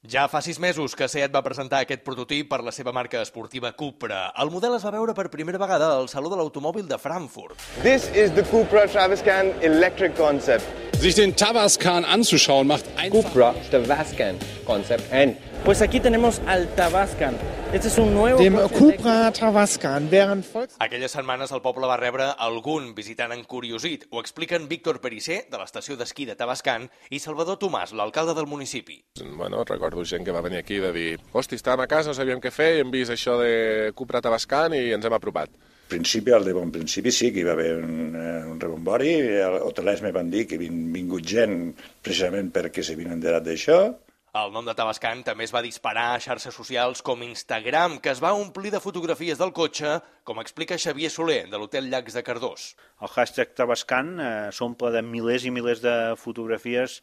Ja fa 6 mesos que SEAT va presentar aquest prototip per la seva marca esportiva Cupra. El model es va veure per primera vegada al Saló de l'Automòbil de Frankfurt. This is the Cupra Tavascan electric concept. Sich den Tavascan anzuschauen macht einfach. Cupra Tavascan concept and Pues aquí tenemos al Tavascan. Este es un nuevo Dem coche Cupra Tavascan, während Aquelles setmanes el poble va rebre algun visitant encuriosit. Ho expliquen Víctor Perissé, de l'estació d'esquí de Tavascan, i Salvador Tomàs, l'alcalde del municipi. Bueno, recordo gent que va venir aquí de dir hosti, estàvem a casa, no sabíem què fer i hem vist això de Cupra Tavascan i ens hem apropat. Al principi, al de bon principi, sí que hi va haver un rebombori. Hotelers me van dir que vingut gent precisament perquè s'havien enterat d'això. El nom de Tavascan també es va disparar a xarxes socials com Instagram, que es va omplir de fotografies del cotxe, com explica Xavier Soler, de l'Hotel Llacs de Cardós. El hashtag Tavascan s'omple de milers i milers de fotografies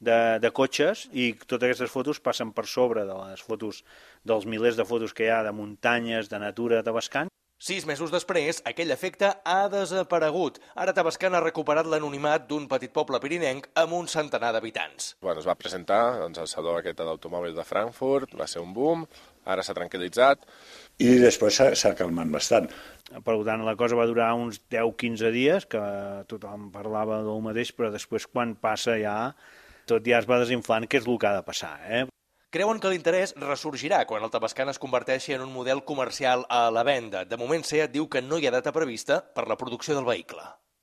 de cotxes i totes aquestes fotos passen per sobre de les fotos dels milers de fotos que hi ha de muntanyes, de natura de Tavascan. 6 mesos després, aquell efecte ha desaparegut. Ara Tavascan ha recuperat l'anonimat d'un petit poble pirinenc amb un centenar d'habitants. Bueno, es va presentar doncs, al Saló aquest de l'Automòbil de Frankfurt, va ser un boom, ara s'ha tranquil·litzat. I després s'ha calmat bastant. Per tant, la cosa va durar uns 10-15 dies, que tothom parlava del mateix, però després quan passa ja, tot ja es va desinflant, que és el que ha de passar, Creuen que l'interès ressorgirà quan el Tavascan es converteixi en un model comercial a la venda. De moment, SEAT diu que no hi ha data prevista per la producció del vehicle.